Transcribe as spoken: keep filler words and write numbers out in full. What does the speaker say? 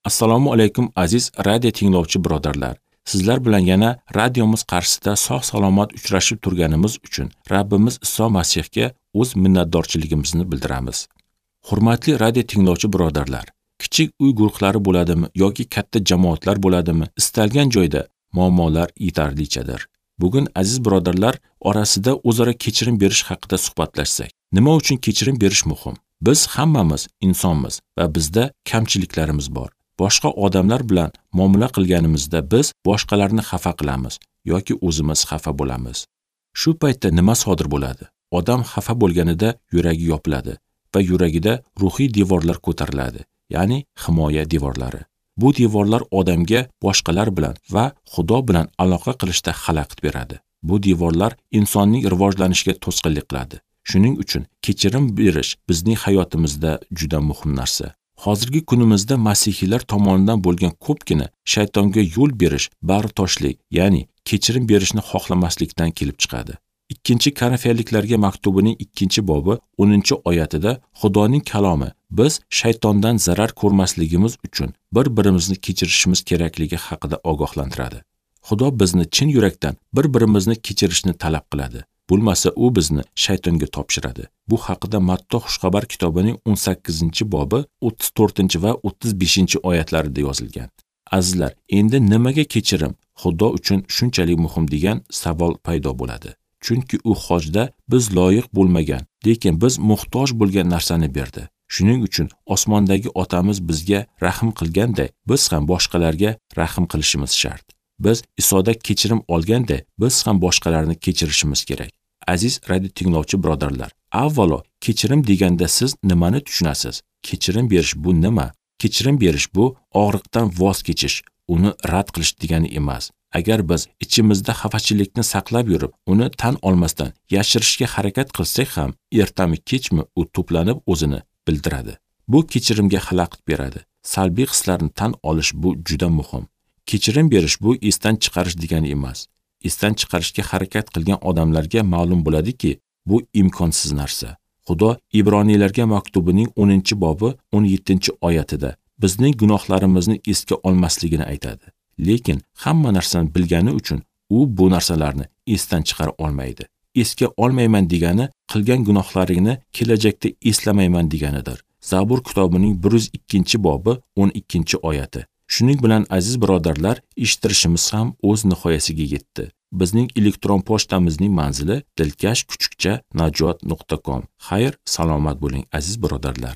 Assalomu alaykum aziz radio tinglovchi birodarlar. Sizlar bilan yana radiomiz qarshisida sog' salomat uchrashib turganimiz uchun Rabbimiz Iso Masihga o'z minnatdorchiligimizni bildiramiz. Hurmatli radio tinglovchi birodarlar, kichik uy guruhlari bo'ladimi yoki katta jamoatlar bo'ladimi, istalgan joyda muammolar yetarlichadir. Bugun aziz birodarlar orasida o'zaro kechirim berish haqida suhbatlashsak. Nima uchun kechirim berish muhim? Biz hammamiz insonmiz va bizda kamchiliklarimiz bor. Boshqa odamlar bilan muomala qilganimizda biz boshqalarni xafa qilamiz yoki o'zimiz xafa bo'lamiz. Shu paytda nima sodir bo'ladi? Odam xafa bo'lganida yuragi yopiladi va yuragida ruhiy devorlar ko'tariladi, ya'ni himoya devorlari. Bu devorlar odamga boshqalar bilan va Xudo bilan aloqa qilishda xalaqit beradi. Bu devorlar insonning rivojlanishiga to'sqinlik qiladi. Shuning uchun kechirim berish bizning hayotimizda juda muhim narsa. Hozirgi kunimizda masihiylar tomonidan bo'lgan ko'pgina shaytonga yo'l berish bag'ritoshlik, ya'ni kechirim berishni xohlamaslikdan kelib chiqadi. Ikkinchi Korinfiyliklarga maktubining ikkinchi bobi o'ninchi oyatida Xudoning kalomi biz shaytondan zarar ko'rmasligimiz uchun bir-birimizni kechirishimiz kerakligi haqida ogohlantiradi. Xudo bizni chin yurakdan bir-birimizni kechirishni talab qiladi. Bo'lmasa u bizni shaytonga topshiradi. Bu haqida Matto Xushxabar kitobining o'n sakkizinchi bobi o'ttiz to'rtinchi va o'ttiz beshinchi oyatlarida yozilgan. Azizlar, endi nimaga kechirim Xudo uchun shunchalik muhim degan savol paydo bo'ladi. Chunki u hojda biz loyiq bo'lmagan, lekin biz muhtoj bo'lgan narsani berdi. Shuning uchun osmondagi otamiz bizga rahm qilganday, biz ham boshqalarga rahm qilishimiz shart. Biz Isoda kechirim olganday, biz ham boshqalarni kechirishimiz kerak. Aziz radio tinglovchi birodarlar, avvalo kechirim deganda siz nimani tushunasiz? Kechirim berish bu nima? Kechirim berish bu og'riqdan voz kechish, uni rad qilish degani emas. Agar biz ichimizda xafachilikni saqlab yurib, uni tan olmasdan yashirishga harakat qilsak ham, ertami kechmi u to'planib o'zini bildiradi. Bu kechirimga xalaqit beradi. Salbiy hislarni tan olish bu juda muhim. Kechirim berish bu esdan chiqarish degani emas. Esdan chiqarishga harakat qilgan odamlarga ma'lum bo'ladiki, bu imkonsiz narsa. Xudo Ibroniylarga maktubining o'ninchi bobi o'n yettinchi oyatida bizning gunohlarimizni esga olmasligini aytadi. Lekin hamma narsani bilgani uchun u bu narsalarni esdan chiqara olmaydi. Esga olmayman degani qilgan gunohlaringni kelajakda eslamayman deganidir. Zabur kitobining bir yuz ikkinchi bobi o'n ikkinchi oyati. Shuning bilan aziz birodarlar, eshittirishimiz ham o'z nihoyasiga yetdi. Bizning elektron pochtamizning manzili dilkash kuchukcha najot nuqta com. Xayr, salomat bo'ling aziz birodarlar.